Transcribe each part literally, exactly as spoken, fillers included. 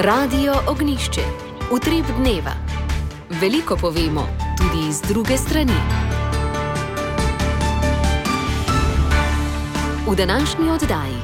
Radio Ognjišče. Utrip dneva. Veliko povemo, tudi iz druge strani. V današnji oddaji.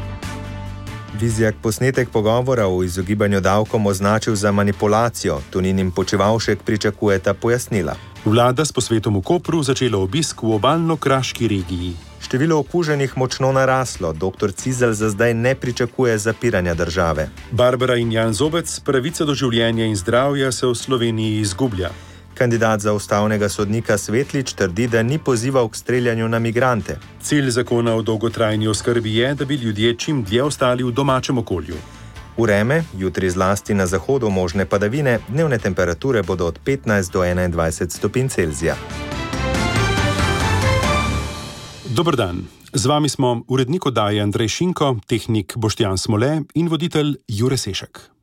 Vizjak posnetek pogovora o izogibanju davkom označil za manipulacijo. Tonin in Počivalšek pričakujeta pojasnila. Vlada s posvetom v Kopru začela obisk v obalno-kraški regiji. Število okuženih močno naraslo, doktor Cizelj za zdaj ne pričakuje zapiranja države. Barbara in Jan Zobec, pravica do življenja in zdravja se v Sloveniji izgublja. Kandidat za ustavnega sodnika Svetlič trdi, da ni pozival k streljanju na migrante. Cilj zakona o dolgotrajni oskrbi je, da bi ljudje čim dlje ostali v domačem okolju. Vreme, jutri zlasti na zahodu možne padavine, dnevne temperature bodo od petnajst do enaindvajset stopinj Celzija. Dober dan. Z vami smo urednik oddaje Andrej Šinko, tehnik Boštjan Smole in voditelj Jure Sešek.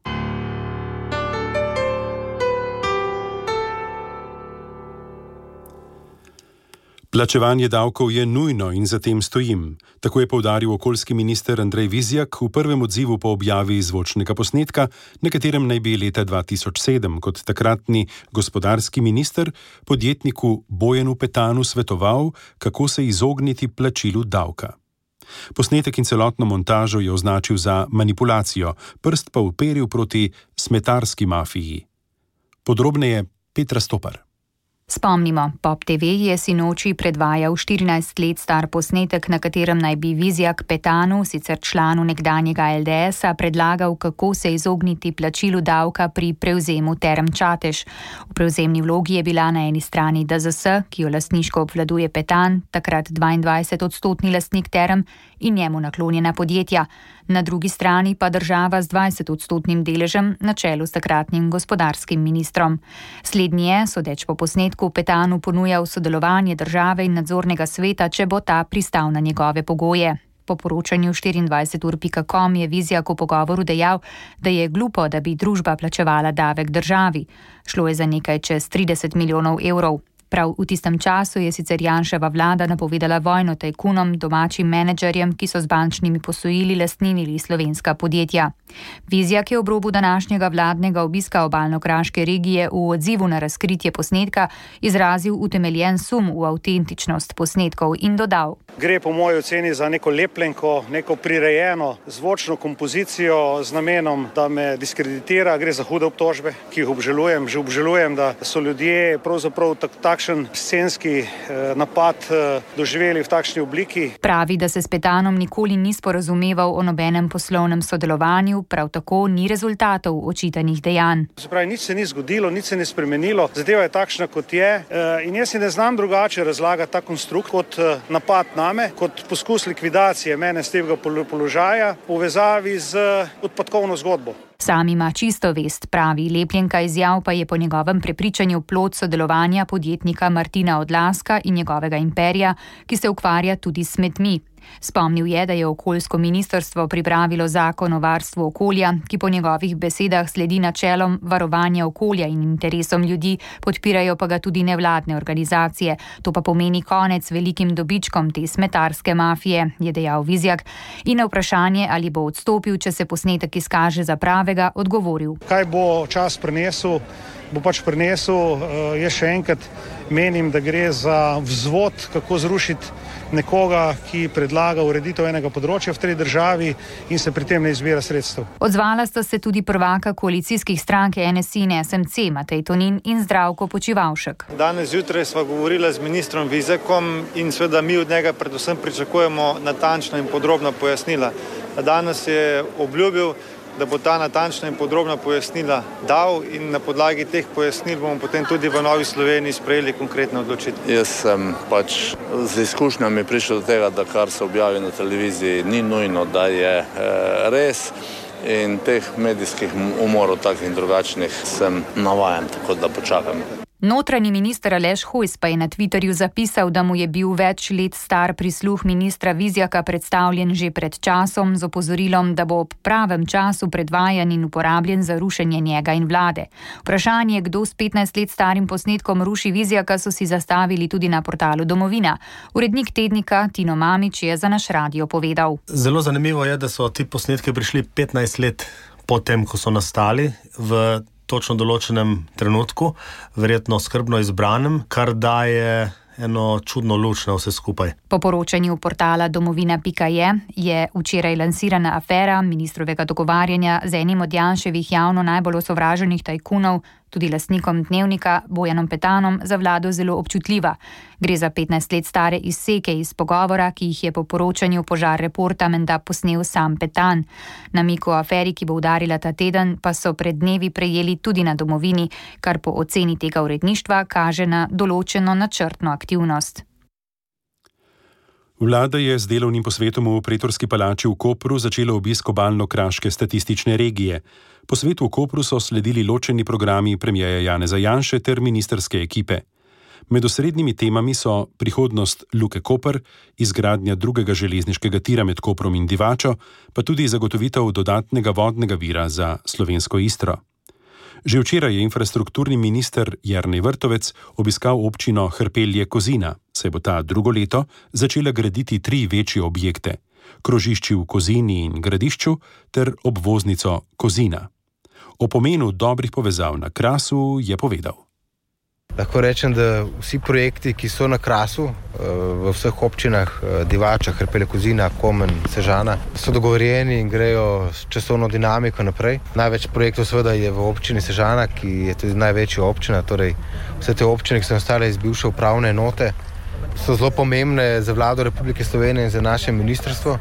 Plačevanje davkov je nujno in za tem stojim. Tako je poudaril okoljski minister Andrej Vizjak v prvem odzivu po objavi zvočnega posnetka, na katerem naj bi leta dva tisoč sedem kot takratni gospodarski minister podjetniku Bojanu Petanu svetoval, kako se izogniti plačilu davka. Posnetek in celotno montažo je označil za manipulacijo, prst pa uperil proti smetarski mafiji. Podrobneje Petra Stopar. Spomnimo, Pop te ve je sinoči predvajal štirinajst let star posnetek, na katerem naj bi Vizjak Petanu, sicer članu nekdanjega el de esa, predlagal, kako se izogniti plačilu davka pri prevzemu Term Čatež. V prevzemni vlogi je bila na eni strani de zes, ki jo lastniško obvladuje Petan, takrat dvaindvajset odstotni lastnik Term in njemu naklonjena podjetja. Na drugi strani pa država z dvajset odstotnim deležem na čelu s takratnim gospodarskim ministrom. Slednji je, sodeč po posnetku, Petanu ponujal sodelovanje države in nadzornega sveta, če bo ta pristal na njegove pogoje. Po poročanju štiriindvajset ur pika com je Vizjak v pogovoru dejal, da je glupo, da bi družba plačevala davek državi. Šlo je za nekaj čez trideset milijonov evrov. Prav v tistem času je sicer Janševa vlada napovedala vojno tajkunom, domačim menedžerjem, ki so z bančnimi posojili lastninili slovenska podjetja. Vizjak je ob robu današnjega vladnega obiska obalno-kraške regije v odzivu na razkritje posnetka izrazil utemeljen sum v avtentičnost posnetkov in dodal: Gre po moji oceni za neko lepljenko, neko prirejeno zvočno kompozicijo z namenom, da me diskreditira. Gre za hude obtožbe, ki jih obžalujem. Že obžalujem, da so ljudje pravzaprav tak, takšen scenski eh, napad eh, doživeli v takšni obliki. Pravi, da se s Petanom nikoli ni sporazumeval o nobenem poslovnem sodelovanju, prav tako ni rezultatov očitanih dejanj. Se pravi, nič se ni zgodilo, nič se ni spremenilo, zadeva je takšna, kot je. Eh, in jaz si ne znam drugače razlagati ta konstrukt kot eh, napad name, kot poskus likvidacije mene z tega položaja v povezavi z odpadkovno zgodbo. Sam ima čisto vest, pravi, lepljenka izjav pa je po njegovem prepričanju plod sodelovanja podjetnika Martina Odlazka in njegovega imperija, ki se ukvarja tudi s smetmi. Spomnil je, da je okoljsko ministrstvo pripravilo zakon o varstvu okolja, ki po njegovih besedah sledi načelom varovanja okolja in interesom ljudi, podpirajo pa ga tudi nevladne organizacije. To pa pomeni konec velikim dobičkom te smetarske mafije, je dejal Vizjak in na vprašanje, ali bo odstopil, če se posnetek izkaže za pravega, odgovoril: Kaj bo čas prinesel, bo pač prinesel. Jaz še enkrat menim, da gre za vzvod, kako zrušiti nekoga, ki predlaga ureditev enega področja v tej državi in se pri tem ne izbira sredstev. Odzvala sta se tudi prvaka koalicijskih strank en es i in es em ce, Matej Tonin in Zdravko Počivalšek. Danes zjutraj sva govorila z ministrom Vizjakom in seveda mi od njega predvsem pričakujemo natančna in podrobna pojasnila. Danes je obljubil, da bo ta natančna in podrobna pojasnila dal in na podlagi teh pojasnil bomo potem tudi v Novi Sloveniji sprejeli konkretne odločitve. Jaz sem pač z izkušnjami prišel do tega, da kar se objavi na televiziji ni nujno, da je e, res in teh medijskih umorov takih in drugačnih sem navajen, tako da počakam. Notranji minister Aleš Hojs pa je na Twitterju zapisal, da mu je bil več let star prisluh ministra Vizjaka predstavljen že pred časom z opozorilom, da bo ob pravem času predvajan in uporabljen za rušenje njega in vlade. Vprašanje, kdo s petnajst let starim posnetkom ruši Vizjaka, so si zastavili tudi na portalu Domovina. Urednik tednika Tino Mamić je za naš radio povedal. Zelo zanimivo je, da so ti posnetki prišli petnajst let potem, ko so nastali v točno določenem trenutku, verjetno skrbno izbranem, kar daje eno čudno luč na vse skupaj. Po poročanju portala domovina pika je je včeraj lansirana afera ministrovega dogovarjanja z enim od Janševih javno najbolj osovraženih tajkunov, tudi lastnikom Dnevnika Bojanom Petanom, za vlado zelo občutljiva. Gre za petnajst let stare izseke iz pogovora, ki jih je po poročanju Požar reporta menda posnel sam Petan. Namig o aferi, ki bo udarila ta teden, pa so pred dnevi prejeli tudi na domovini, kar po oceni tega uredništva kaže na določeno načrtno aktivnost. Vlada je z delovnim posvetom v Pretorski palači v Kopru začela obisk obalno-kraške statistične regije. Po svetu v Kopru so sledili ločeni programi premierja Janeza Janše ter ministerske ekipe. Med osrednjimi temami so prihodnost Luke Koper, izgradnja drugega železniškega tira med Koprom in Divačo, pa tudi zagotovitev dodatnega vodnega vira za slovensko Istro. Že včeraj je infrastrukturni minister Jernej Vrtovec obiskal občino Hrpelje-Kozina, saj bo ta drugo leto začela graditi tri večje objekte: krožišči v Kozini in Gradišču ter obvoznico Kozina. O pomenu dobrih povezav na Krasu je povedal. Lahko rečem, da vsi projekti, ki so na Krasu, v vseh občinah Divača, Hrpelje, Kozina, Komen, Sežana, so dogovorjeni in grejo s časovno dinamiko naprej. Največ projektov seveda je v občini Sežana, ki je tudi največja občina, torej vse te občine, ki so nastale iz bivše upravne enote, so zelo pomembne za vlado Republike Slovenije in za naše ministrstvo.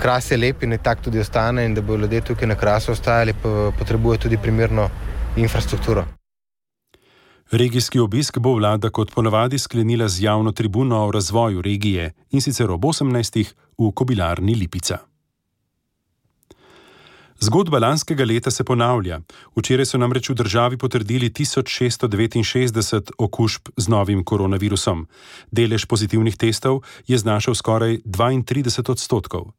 Kras je lep in ne tak tudi ostane, in da bodo ljudje tukaj na Krasu ostajali, pa potrebuje tudi primerno infrastrukturo. Regijski obisk bo vlada kot ponavadi sklenila z javno tribuno o razvoju regije, in sicer ob osemnajstih v Kobilarni Lipica. Zgodba lanskega leta se ponavlja. Včeraj so namreč v državi potrdili tisoč šeststo devetinšestdeset okužb z novim koronavirusom. Delež pozitivnih testov je znašal skoraj dvaintrideset odstotkov.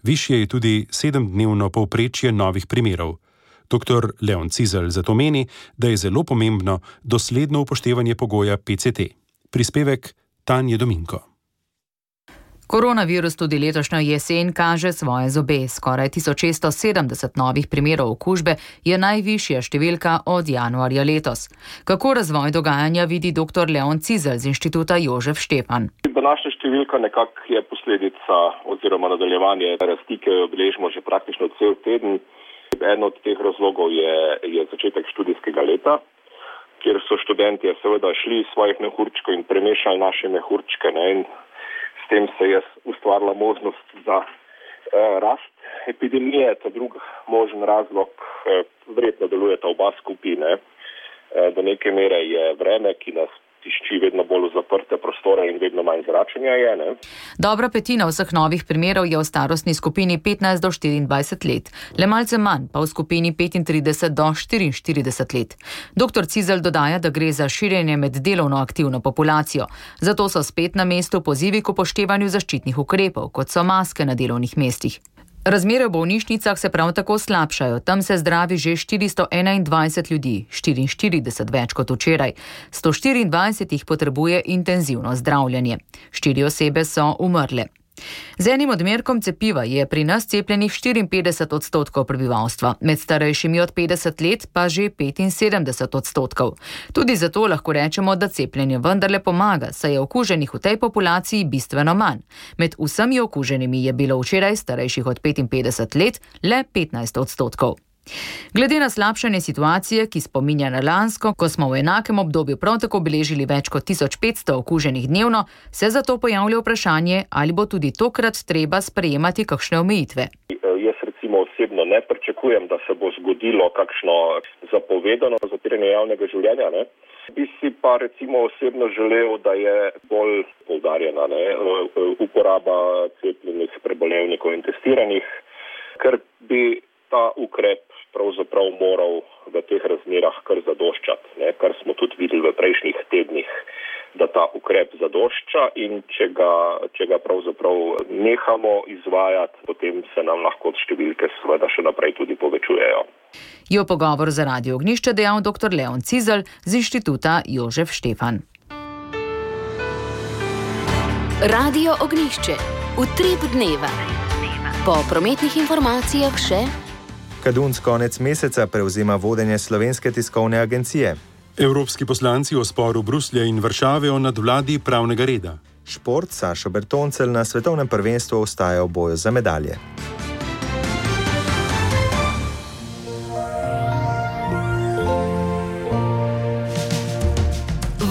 Višje je tudi sedemdnevno povprečje novih primerov. Doktor Leon Cizelj zato meni, da je zelo pomembno dosledno upoštevanje pogoja P C T. Prispevek Tanje Dominko. Koronavirus tudi letošnjo jesen kaže svoje zobe. Skoraj tisoč šeststo sedemdeset novih primerov okužbe je najvišja številka od januarja letos. Kako razvoj dogajanja vidi doktor Leon Cizelj z Inštituta Jožef Štefan? Današnja številka nekako je posledica oziroma nadaljevanje rasti, ki jo beležimo že praktično cel teden. En od teh razlogov je, je začetek študijskega leta, kjer so študentje seveda šli iz svojih mehurčkov in premešali naše mehurčke, ne, in s tem se je ustvarila možnost za eh, rast epidemije. Ta drug možen razlog, eh, verjetno delujeta oba skupine. Eh, do neke mere je vreme, ki nas tišči vedno bolj v zaprte prostore in vedno manj zračenja je. Ne? Dobra petina vseh novih primerov je v starostni skupini petnajst do štiriindvajset let, le malce manj pa v skupini petintrideset do štiriinštirideset let. Doktor Cizelj dodaja, da gre za širjenje med delovno aktivno populacijo, zato so spet na mestu pozivi k upoštevanju zaščitnih ukrepov, kot so maske na delovnih mestih. Razmere v bolnišnicah se prav tako slabšajo, tam se zdravi že štiristo enaindvajset ljudi, štiriinštirideset več kot včeraj. sto štiriindvajset jih potrebuje intenzivno zdravljenje. Štiri osebe so umrle. Z enim odmerkom cepiva je pri nas cepljenih štiriinpetdeset odstotkov prebivalstva, med starejšimi od petdeset let pa že petinsedemdeset odstotkov. Tudi zato lahko rečemo, da cepljenje vendarle pomaga, saj je okuženih v tej populaciji bistveno manj. Med vsemi okuženimi je bilo včeraj starejših od petinpetdeset let le petnajst odstotkov. Glede na slabšanje situacije, ki spominja na lansko, ko smo v enakem obdobju prav tako beležili več kot tisoč petsto okuženih dnevno, se zato pojavlja vprašanje, ali bo tudi tokrat treba sprejemati kakšne omejitve. Jaz recimo osebno ne pričakujem, da se bo zgodilo kakšno zapovedano zapiranje javnega življenja. Ne? Bi si pa recimo osebno želel, da je bolj poudarjena ne? uporaba cepljenih, prebolevnikov in testiranih, ker bi ta ukrep pravzaprav moral v teh razmerah kar zadoščati, ne? Kar smo tudi videli v prejšnjih tednih, da ta ukrep zadošča, in če ga, če ga pravzaprav nehamo izvajati, potem se nam lahko številke seveda še naprej tudi povečujejo. Je v pogovor za Radio Ognjišče dejal doktor Leon Cizelj z Inštituta Jožef Štefan. Radio Ognjišče. Utrip dneva. Po prometnih informacijah še... Kadunc konec meseca prevzema vodenje Slovenske tiskovne agencije. Evropski poslanci o sporu Bruslja in Varšave o nadvladi pravnega reda. Šport, Sašo Bertoncelj na svetovnem prvenstvu ostaja v boju za medalje.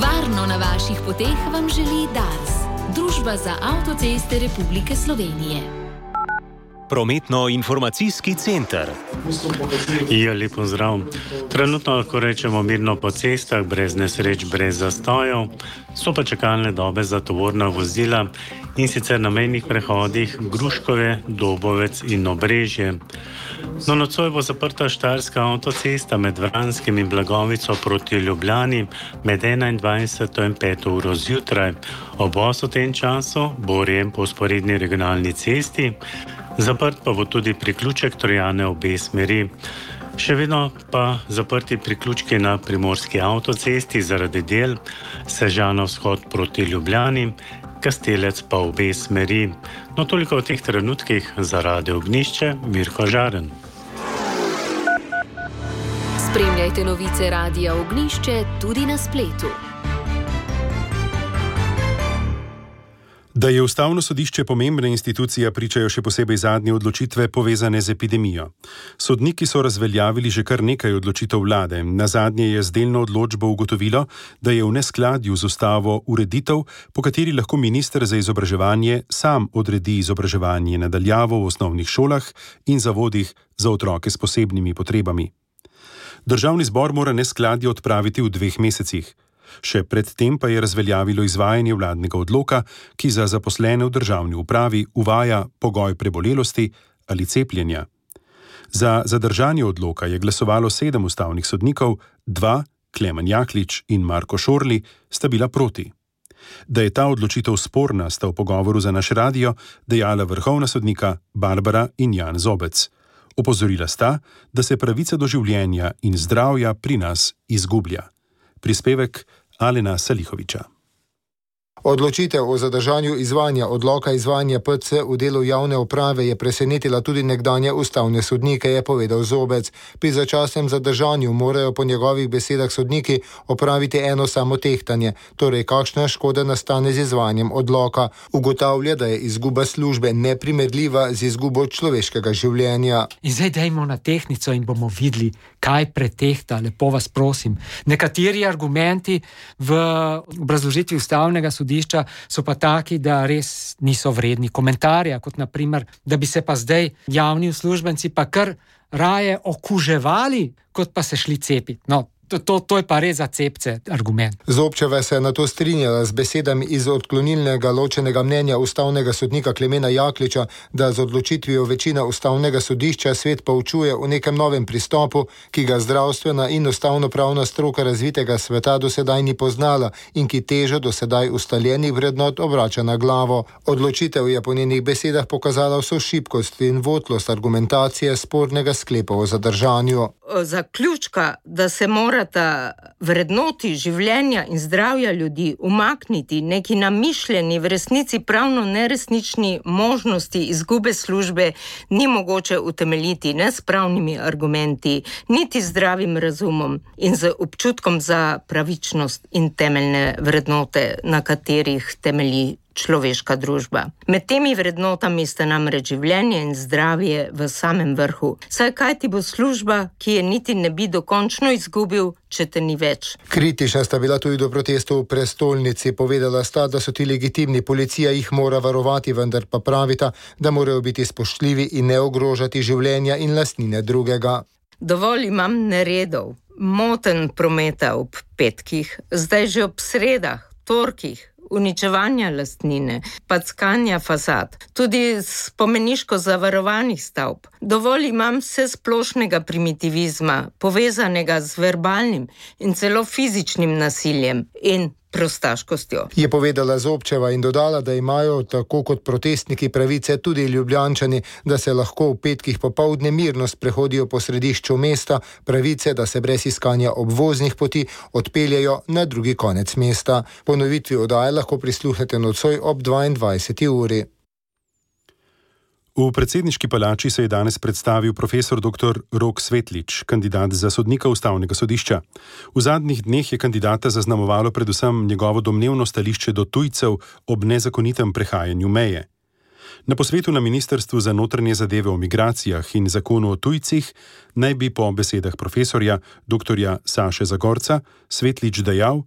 Varno na vaših poteh vam želi Dars, Družba za avtoceste Republike Slovenije. Prometno-informacijski center. Ja, lep pozdrav. Trenutno lahko rečemo mirno po cestah, brez nesreč, brez zastojev. So pa čakalne dobe za tovorna vozila in sicer na mejnih prehodih Gruškove, Dobovec in Obrežje. No, nocoj bo zaprta štajerska avtocesta med Vranskim in Blagovico proti Ljubljani med enaindvajseto in peto uro zjutraj. Obvoz v tem času bo urejen po vzporedni regionalni cesti. Zaprt pa bo tudi priključek Trojane obe smeri. Še vedno pa zaprti priključki na primorski avtocesti zaradi del, Sežana vzhod proti Ljubljani, Kastelec pa obe smeri. No, toliko v teh trenutkih za Radio Ognjišče, Mirko Žaren. Spremljajte novice Radia Ognjišče tudi na spletu. Da je Ustavno sodišče pomembna institucija, pričajo še posebej zadnje odločitve povezane z epidemijo. Sodniki so razveljavili že kar nekaj odločitev vlade. Nazadnje je z delno odločbo ugotovilo, da je v neskladju z ustavo ureditev, po kateri lahko minister za izobraževanje sam odredi izobraževanje na daljavo v osnovnih šolah in zavodih za otroke s posebnimi potrebami. Državni zbor mora neskladje odpraviti v dveh mesecih. Še predtem pa je razveljavilo izvajanje vladnega odloka, ki za zaposlene v državni upravi uvaja pogoj prebolelosti ali cepljenja. Za zadržanje odloka je glasovalo sedem ustavnih sodnikov, dva, Klemen Jaklič in Marko Šorli, sta bila proti. Da je ta odločitev sporna, sta v pogovoru za naš radio dejala vrhovna sodnika Barbara in Jan Zobec. Opozorila sta, da se pravica do življenja in zdravja pri nas izgublja. Prispevek Alena Salihoviča. Odločitev o zadržanju izvajanja odloka izvajanja P C v delu javne uprave je presenetila tudi nekdanje ustavne sodnike, je povedal Zobec. Pri začasnem zadržanju morajo po njegovih besedah sodniki opraviti eno samo tehtanje, torej kakšna škoda nastane z izvajanjem odloka. Ugotavlja, da je izguba službe neprimerljiva z izgubo človeškega življenja. In zdaj dajmo na tehtnico in bomo videli, kaj pretehta, lepo vas prosim. Nekateri argumenti v obrazložitvi ustavnega sodnika so pa taki, da res niso vredni komentarja, kot naprimer, da bi se pa zdaj javni uslužbenci pa kar raje okuževali, kot pa se šli cepiti. No, To, to, to je pa res za cepce argument. Zobčeva se je na to strinjala z besedami iz odklonilnega ločenega mnenja ustavnega sodnika Klemena Jakliča, da z odločitvijo večina ustavnega sodišča svet poučuje o nekem novem pristopu, ki ga zdravstvena in ustavnopravna stroka razvitega sveta do sedaj ni poznala in ki težo do sedaj ustaljenih vrednot obrača na glavo. Odločitev je po njenih besedah pokazala vso šibkost in votlost argumentacije spornega sklepa o zadržanju. Zaključka, da se mora vrednoti življenja in zdravja ljudi umakniti neki namišljeni, v resnici pravno neresnični možnosti izgube službe, ni mogoče utemeljiti ne s pravnimi argumenti, niti zdravim razumom in z občutkom za pravičnost in temeljne vrednote, na katerih temelji človeška družba. Med temi vrednotami sta namreč življenje in zdravje v samem vrhu. Saj kaj ti bo služba, ki je niti ne bi dokončno izgubil, če te ni več? Kritična sta bila tudi do protestov v prestolnici. Povedala sta, da so ti legitimni, policija jih mora varovati, vendar pa pravita, da morajo biti spoštljivi in ne ogrožati življenja in lastnine drugega. Dovolj imam neredov, moten prometa ob petkih, zdaj že ob sredah, torkih, uničevanja lastnine, packanja fasad, tudi spomeniško zavarovanih stavb. Dovolj imam vse splošnega primitivizma, povezanega z verbalnim in celo fizičnim nasiljem in prostaškostjo. Je povedala Zobčeva in dodala, da imajo tako kot protestniki pravice tudi Ljubljančani, da se lahko v petkih popoldne mirno sprehodijo po središču mesta, pravice, da se brez iskanja obvoznih poti odpeljajo na drugi konec mesta. Ponovitvi oddaje lahko prisluhnete nocoj ob dvaindvajseti uri. V predsedniški palači se je danes predstavil profesor doktor Rok Svetlič, kandidat za sodnika Ustavnega sodišča. V zadnjih dneh je kandidata zaznamovalo predvsem njegovo domnevno stališče do tujcev ob nezakonitem prehajanju meje. Na posvetu na Ministrstvu za notranje zadeve o migracijah in zakonu o tujcih naj bi po besedah profesorja doktorja Saše Zagorca Svetlič dejal,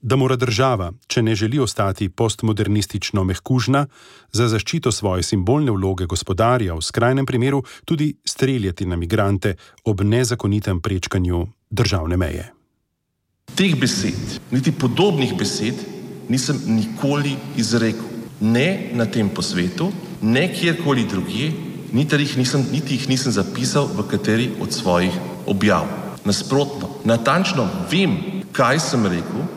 da mora država, če ne želi ostati postmodernistično mehkužna, za zaščito svoje simbolne vloge gospodarja v skrajnem primeru tudi streljati na migrante ob nezakonitem prečkanju državne meje. Teh besed, niti podobnih besed, nisem nikoli izrekel. Ne na tem posvetu, ne kjerkoli drugje, niti jih nisem, niti jih nisem zapisal v kateri od svojih objav. Nasprotno, natančno vem, kaj sem rekel.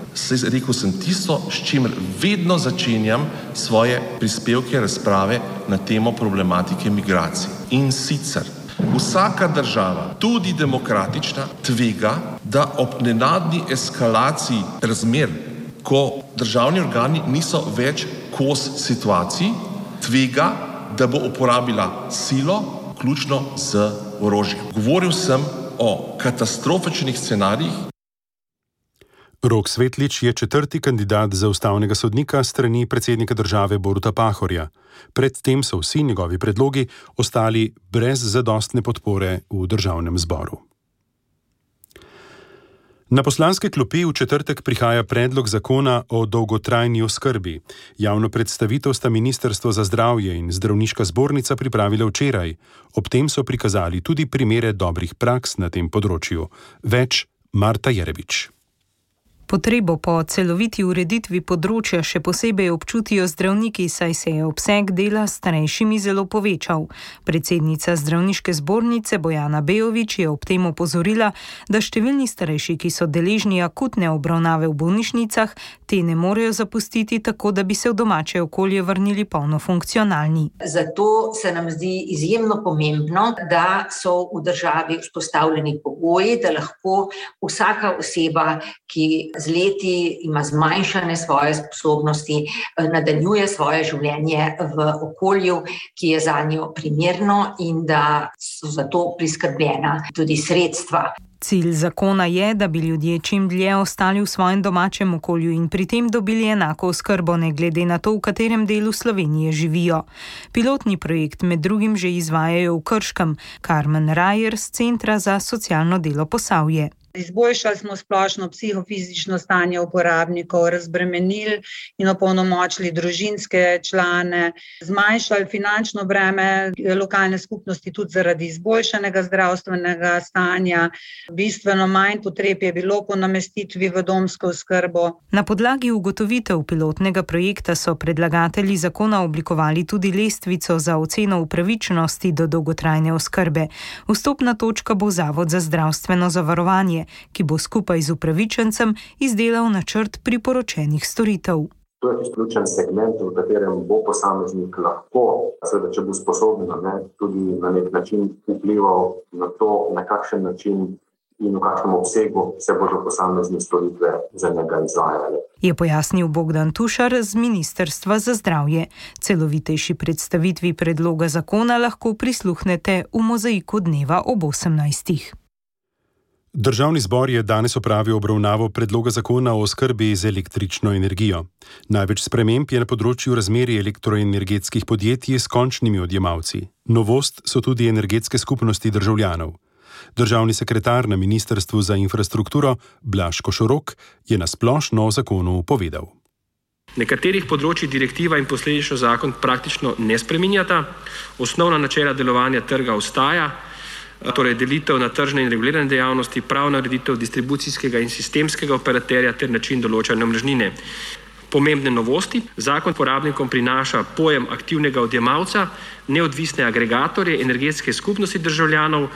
Rekel sem tisto, s čimer vedno začenjam svoje prispevke, razprave na temo problematike migracij. In sicer, vsaka država, tudi demokratična, tvega, da ob nenadni eskalaciji razmer, ko državni organi niso več kos situaciji, tvega, da bo uporabila silo, vključno z orožjem. Govoril sem o katastrofičnih scenarijih. Rok Svetlič je četrti kandidat za ustavnega sodnika strani predsednika države Boruta Pahorja. Predtem so vsi njegovi predlogi ostali brez zadostne podpore v državnem zboru. Na poslanske klopi v četrtek prihaja predlog zakona o dolgotrajni oskrbi. Javno predstavitev sta Ministrstvo za zdravje in Zdravniška zbornica pripravile včeraj. Ob tem so prikazali tudi primere dobrih praks na tem področju. Več Marta Jerebič. Potrebo po celoviti ureditvi področja še posebej občutijo zdravniki, saj se je obseg dela s starejšimi zelo povečal. Predsednica Zdravniške zbornice Bojana Bejović je ob tem opozorila, da številni starejši, ki so deležni akutne obravnave v bolnišnicah, te ne morejo zapustiti tako, da bi se v domače okolje vrnili polno funkcionalni. Zato se nam zdi izjemno pomembno, da so v državi vzpostavljeni pogoji, da lahko vsaka oseba, ki z leti ima zmanjšane svoje sposobnosti, nadaljuje svoje življenje v okolju, ki je zanjo primerno in da so za to priskrbljena tudi sredstva. Cilj zakona je, da bi ljudje čim dlje ostali v svojem domačem okolju in pri tem dobili enako oskrbo, ne glede na to, v katerem delu Slovenije živijo. Pilotni projekt med drugim že izvajajo v Krškem. Karmen Rajer z Centra za socialno delo Posavje. Izboljšali smo splošno psihofizično stanje uporabnikov, razbremenili in opolnomočili družinske člane, zmanjšali finančno breme lokalne skupnosti tudi zaradi izboljšanega zdravstvenega stanja. Bistveno manj potreb je bilo po namestitvi v domsko oskrbo. Na podlagi ugotovitev pilotnega projekta so predlagatelji zakona oblikovali tudi lestvico za oceno upravičenosti do dolgotrajne oskrbe. Vstopna točka bo Zavod za zdravstveno zavarovanje, ki bo skupaj z upravičencem izdelal načrt priporočenih storitev. To je izključen segment, v katerem bo posameznik lahko, seveda, če bo sposoben, ne, tudi na nek način vplival na to, na kakšen način in v kakšnem obsegu se bodo posamezne storitve za njega izvajale. Je pojasnil Bogdan Tušar z Ministrstva za zdravje. Celovitejši predstavitvi predloga zakona lahko prisluhnete v Mozaiku dneva ob osemnajstih. Državni zbor je danes opravil obravnavo predloga zakona o oskrbi z električno energijo. Največ sprememb je na področju razmerij elektroenergetskih podjetij s končnimi odjemalci. Novost so tudi energetske skupnosti državljanov. Državni sekretar na Ministrstvu za infrastrukturo Blaž Košorok je na splošno o zakonu povedal. Nekaterih področjih direktiva in posledično zakon praktično ne spreminjata. Osnovna načela delovanja trga ostaja, torej delitev na tržne in regulirane dejavnosti, pravna ureditev distribucijskega in sistemskega operaterja ter način določanja omrežnine. Pomembne novosti. Zakon uporabnikom prinaša pojem aktivnega odjemalca, neodvisne agregatorje, energetske skupnosti državljanov,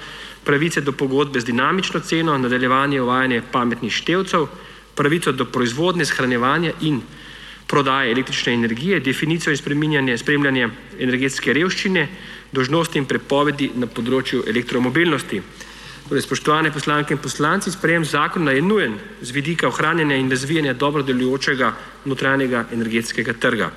pravice do pogodbe z dinamično ceno, nadaljevanje uvajanja pametnih števcev, pravico do proizvodnje, shranjevanja in prodaje električne energije, definicijo in spremljanje, spremljanje energetske revščine, dolžnosti in prepovedi na področju elektromobilnosti. Torej, spoštovane poslanke in poslanci, sprejem zakona je nujen z vidika ohranjanja in razvijanja dobro delujočega notranjega energetskega trga.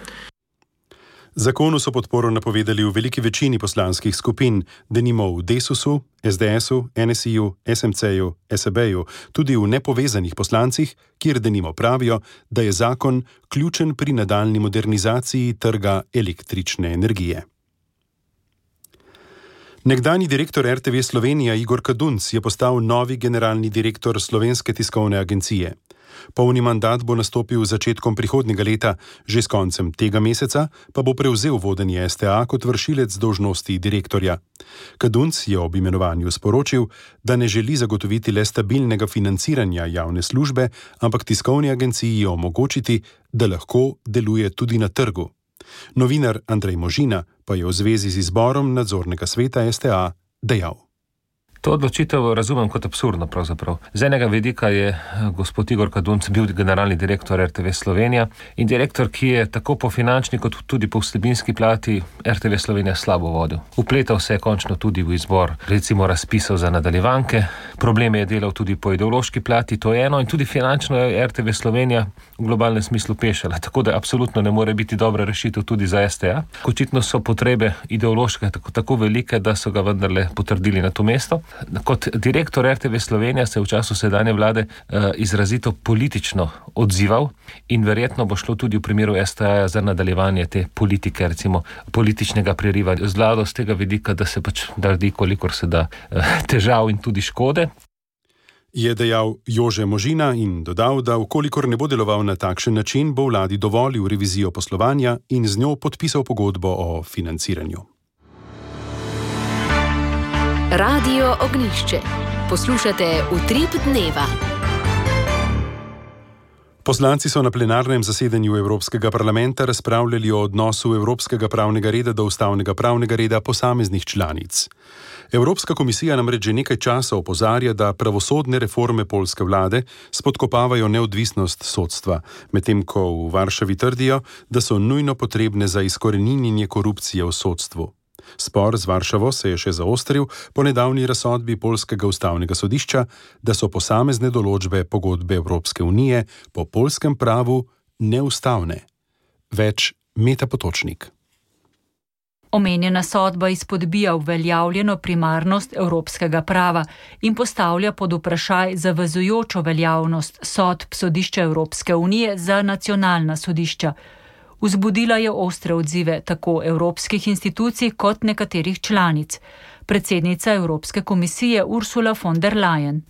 Zakonu so podporo napovedali v veliki večini poslanskih skupin, denimo v Desusu, es de esu, en es i-ju, es em ce-ju, es e be-ju, tudi v nepovezanih poslancih, kjer denimo pravijo, da je zakon ključen pri nadaljni modernizaciji trga električne energije. Nekdanji direktor er te ve Slovenija Igor Kadunc je postal novi generalni direktor Slovenske tiskovne agencije. Polni mandat bo nastopil z začetkom prihodnjega leta, že s koncem tega meseca pa bo prevzel vodenje es te a kot vršilec dolžnosti direktorja. Kadunc je ob imenovanju sporočil, da ne želi zagotoviti le stabilnega financiranja javne službe, ampak tiskovni agenciji omogočiti, da lahko deluje tudi na trgu. Novinar Andrej Možina pa je v zvezi z izborom nadzornega sveta es te a dejal. To odločitev razumem kot absurdno pravzaprav. Z enega vidika je gospod Igor Kadunc bil generalni direktor er te ve Slovenija in direktor, ki je tako po finančni kot tudi po vsebinski plati er te ve Slovenija slabo vodil. Upletal se je končno tudi v izbor recimo razpisov za nadaljevanke, probleme je delal tudi po ideološki plati, to je eno, in tudi finančno je er te ve Slovenija v globalnem smislu pešala, tako da absolutno ne more biti dobra rešitev tudi za es te a. Očitno so potrebe ideološke tako, tako velike, da so ga vendarle potrdili na to mesto. Kot direktor er te ve Slovenija se je v času sedanje vlade uh, izrazito politično odzival in verjetno bo šlo tudi v primeru es te a za nadaljevanje te politike, recimo političnega prerivanja z vlado z tega vidika, da se pač naredi kolikor se da uh, težav in tudi škode. Je dejal Jože Možina in dodal, da vkolikor ne bo deloval na takšen način, bo vladi dovolil revizijo poslovanja in z njo podpisal pogodbo o financiranju. Radio Ognjišče. Poslušate Utrip dneva. Poslanci so na plenarnem zasedanju Evropskega parlamenta razpravljali o odnosu evropskega pravnega reda do ustavnega pravnega reda posameznih članic. Evropska komisija namreč že nekaj časa opozarja, da pravosodne reforme poljske vlade spodkopavajo neodvisnost sodstva, medtem ko v Varšavi trdijo, da so nujno potrebne za izkoreninjenje korupcije v sodstvu. Spor z Varšavo se je še zaostril po nedavni razsodbi poljskega ustavnega sodišča, da so posamezne določbe pogodbe Evropske unije po poljskem pravu neustavne. Več Meta Potočnik. Omenjena sodba izpodbija uveljavljeno primarnost evropskega prava in postavlja pod vprašaj zavezujočo veljavnost sodb sodišča Evropske unije za nacionalna sodišča. Vzbudila je ostre odzive tako evropskih institucij kot nekaterih članic. Predsednica Evropske komisije Ursula von der Leyen.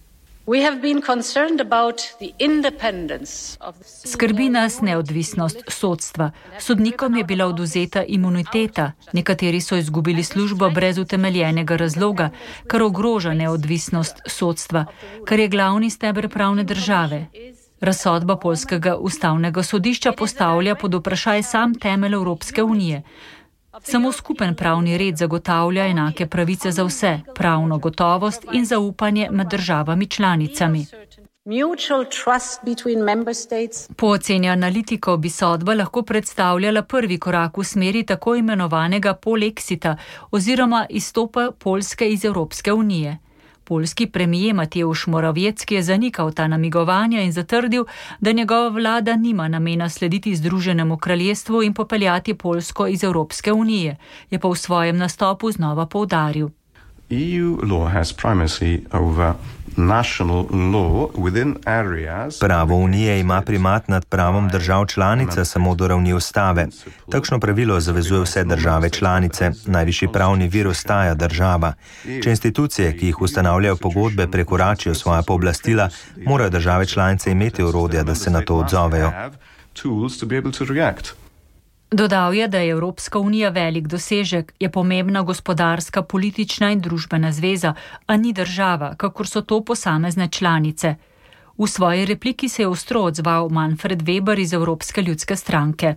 Skrbi nas neodvisnost sodstva. Sodnikom je bila odvzeta imuniteta, nekateri so izgubili službo brez utemeljenega razloga, kar ogroža neodvisnost sodstva, kar je glavni steber pravne države. Razsodba poljskega ustavnega sodišča postavlja pod vprašaj sam temelj Evropske unije. Samo skupen pravni red zagotavlja enake pravice za vse, pravno gotovost in zaupanje med državami članicami. Po oceni analitikov bi sodba lahko predstavljala prvi korak v smeri tako imenovanega polexita oziroma izstopa Poljske iz Evropske unije. Poljski premijer Mateusz Morawiecki je zanikal ta namigovanja in zatrdil, da njegova vlada nima namena slediti Združenemu kraljestvu in popeljati Poljsko iz Evropske unije, je pa v svojem nastopu znova poudaril. E U law has primacy over national law within areas. Pravo unije ima primat nad pravom držav članice samo do ravni ustave. Takšno pravilo zavezuje vse države članice. Najvišji pravni vir ostaja država. Če institucije, ki jih ustanavljajo pogodbe, prekoračijo svoja pooblastila, morajo države članice imeti orodja, da se na to odzovejo. Dodal je, da je Evropska unija velik dosežek, je pomembna gospodarska, politična in družbena zveza, a ni država, kakor so to posamezne članice. V svoji repliki se je ostro odzval Manfred Weber iz Evropske ljudske stranke.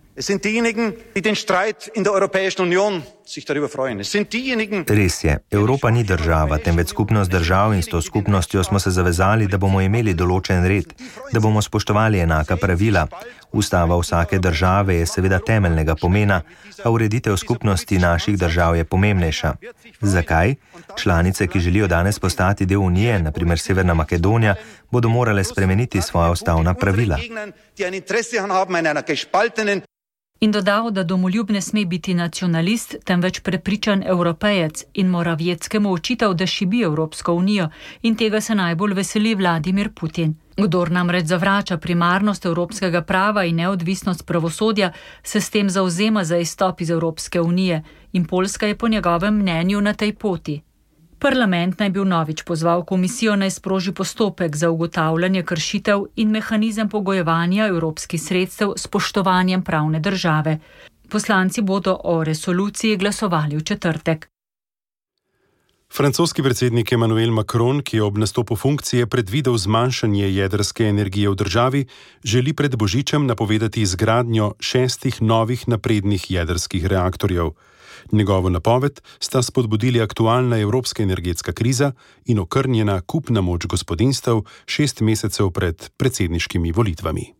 Res je, Evropa ni država, temveč skupnost držav in s to skupnostjo smo se zavezali, da bomo imeli določen red, da bomo spoštovali enaka pravila. Ustava vsake države je seveda temeljnega pomena, a ureditev skupnosti naših držav je pomembnejša. Zakaj? Članice, ki želijo danes postati del Unije, na primer Severna Makedonija, bodo morale spremeniti svoja ustavna pravila. In dodal, da domoljub ne sme biti nacionalist, temveč prepričan evropejec in Moravieckemu očital, da šibi Evropsko unijo in tega se najbolj veseli Vladimir Putin. Kdor namreč zavrača primarnost evropskega prava in neodvisnost pravosodja, se s tem zavzema za izstop iz Evropske unije in Poljska je po njegovem mnenju na tej poti. Parlament naj bi vnovič pozval komisijo naj sproži postopek za ugotavljanje kršitev in mehanizem pogojevanja evropskih sredstev s spoštovanjem pravne države. Poslanci bodo o resoluciji glasovali v četrtek. Francoski predsednik Emmanuel Macron, ki je ob nastopu funkcije predvidel zmanjšanje jedrske energije v državi, želi pred božičem napovedati izgradnjo šestih novih naprednih jedrskih reaktorjev. Njegovo napoved sta spodbudili aktualna evropska energetska kriza in okrnjena kupna moč gospodinjstev šest mesecev pred predsedniškimi volitvami.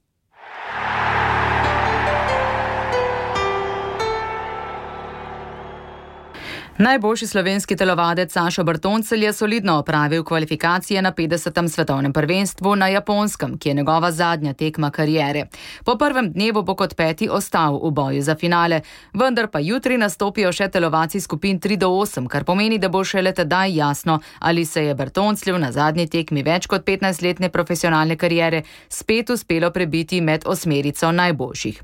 Najboljši slovenski telovadec Sašo Bertoncelj je solidno opravil kvalifikacije na petdesetem svetovnem prvenstvu na Japonskem, ki je njegova zadnja tekma kariere. Po prvem dnevu bo kot peti ostal v boju za finale, vendar pa jutri nastopijo še telovci skupin tri do osem, kar pomeni, da bo šele tedaj jasno, ali se je Bertoncelju na zadnji tekmi več kot petnajstletne profesionalne kariere spet uspelo prebiti med osmerico najboljših.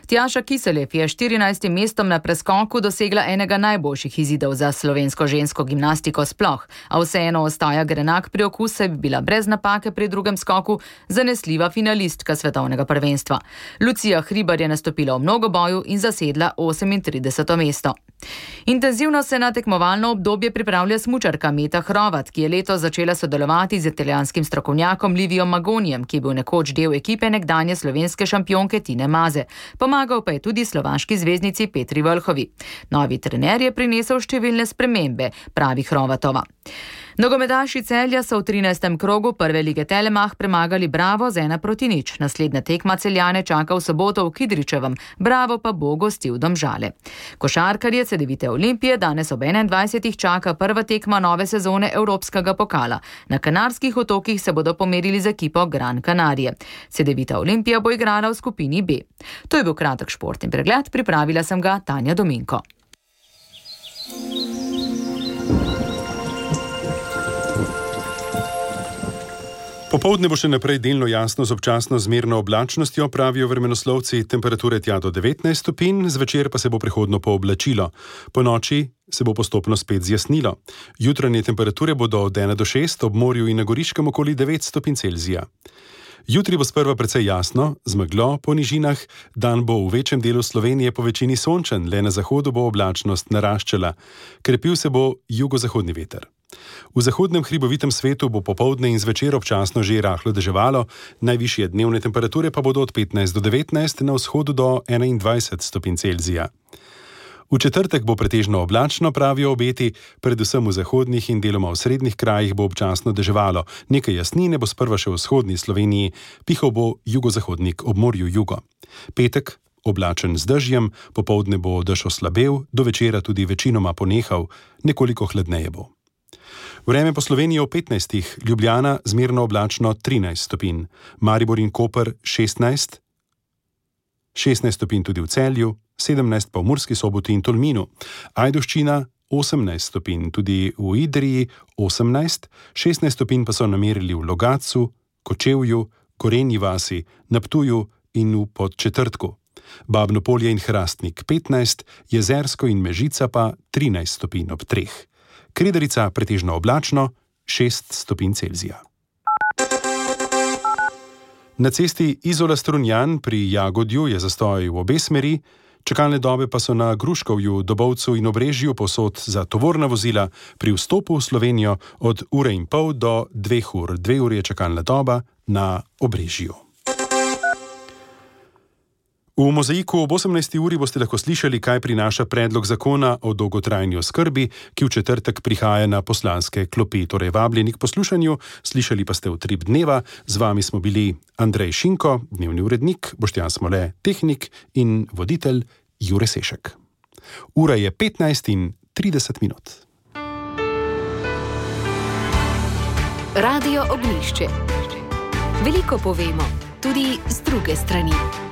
Tjaša Kiselev je štirinajstim mestom na preskoku dosegla enega najboljših izidov za slovensko žensko gimnastiko sploh, a vseeno ostaja grenak priokus, saj bi bila brez napake pri drugem skoku zanesljiva finalistka svetovnega prvenstva. Lucija Hribar je nastopila v mnogoboju in zasedla osemintrideseto mesto. Intenzivno se na tekmovalno obdobje pripravlja smučarka Meta Hrovat, ki je letos začela sodelovati z italijanskim strokovnjakom Livijom Magonijem, ki je bil nekoč del ekipe nekdanje slovenske šampionke Tine Maze. Pomagal pa je tudi slovaški zvezdnici Petri Vlhovi. Novi trener je prinesel številne spremembe, pravi Hrovatova. Nogometaši Celja so v trinajstem krogu prve lige Telemach premagali Bravo z ena proti nič. Naslednja tekma Celjane čaka v soboto v Kidričevem, Bravo pa bo gostil Domžale. Košarkarje Cedevite Olimpije danes ob enaindvajsetih čaka prva tekma nove sezone Evropskega pokala. Na Kanarskih otokih se bodo pomerili z ekipo Gran Canarie. Cedevita Olimpija bo igrala v skupini B. To je bil kratek športni pregled, pripravila sem ga Tanja Dominko. Popoldne bo še naprej delno jasno z občasno zmerno oblačnostjo, pravijo vremenoslovci, temperature tja do devetnajst stopinj, zvečer pa se bo prehodno pooblačilo. Po noči se bo postopno spet zjasnilo. Jutranje temperature bodo od ena do šest, ob morju in na Goriškem okoli devet stopinj Celzija. Jutri bo sprva precej jasno, z meglo po nižinah, dan bo v večjem delu Slovenije po večini sončen, le na zahodu bo oblačnost naraščala. Krepil se bo jugozahodni veter. V zahodnem hribovitem svetu bo popoldne in zvečer občasno že rahlo deževalo, najvišje dnevne temperature pa bodo od petnajst do devetnajst, na vzhodu do enaindvajset stopinj Celzija. V četrtek bo pretežno oblačno, pravijo obeti, predvsem v zahodnih in deloma v srednjih krajih bo občasno deževalo. Nekaj jasnine bo sprva še v vzhodni Sloveniji, pihal bo jugozahodnik ob morju jugo. Petek oblačen z dežjem, popoldne bo dež oslabel, do večera tudi večinoma ponehal, nekoliko hladneje bo. Vreme po Sloveniji ob petnajstih, Ljubljana zmerno oblačno trinajst stopinj, Maribor in Koper šestnajst, šestnajst stopinj tudi v Celju, sedemnajst pa v Murski Soboti in Tolminu, Ajdovščina osemnajst stopinj, tudi v Idriji osemnajst, šestnajst stopinj pa so namerili v Logatcu, Kočevju, Gorenji vasi, na Ptuju in v Podčetrtku. Babno Polje in Hrastnik petnajst, Jezersko in Mežica pa trinajst stopinj ob treh. Kredarica pretežno oblačno, šest stopinj Celzija. Na cesti Izola-Strunjan pri Jagodju je zastoj v obe smeri, čakalne dobe pa so na Gruškovju, Dobovcu in Obrežju povsod za tovorna vozila pri vstopu v Slovenijo od ure in pol do dveh ur. Dve uri je čakalna doba na Obrežju. V Mozaiku ob osemnajsti uri boste lahko slišali, kaj prinaša predlog zakona o dolgotrajni oskrbi, ki v četrtek prihaja na poslanske klopi. Torej vabljeni k poslušanju, slišali pa ste Utrip dneva. Z vami smo bili Andrej Šinko, dnevni urednik, Boštjan Smole, tehnik in voditelj Jure Sešek. Ura je petnajst in trideset minut. Radio Ognjišče. Veliko povemo, tudi z druge strani.